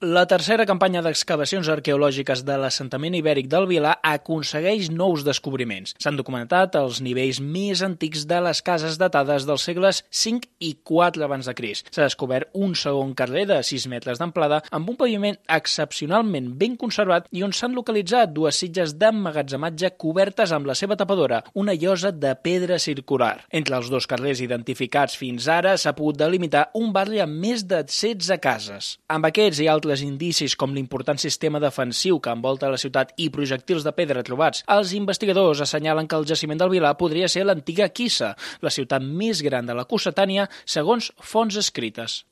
La tercera campanya d'excavacions arqueològiques de l'assentament ibèric del Vilar aconsegueix nous descobriments. S'han documentat els nivells més antics de les cases datades dels segles V i IV abans de Crist. S'ha descobert un segon carrer de 6 metres d'amplada amb un paviment excepcionalment ben conservat i on s'han localitzat dues sitges d'emmagatzematge cobertes amb la seva tapadora, una llosa de pedra circular. Entre els dos carrers identificats fins ara s'ha pogut delimitar un barri amb més de 16 cases. Amb aquests i altres indicis com l'important sistema defensiu que envolta la ciutat i projectils de pedra trobats, els investigadors assenyalen que el jaciment del Vilar podria ser l'antiga Quissa, la ciutat més gran de la Cossetània segons fonts escrites.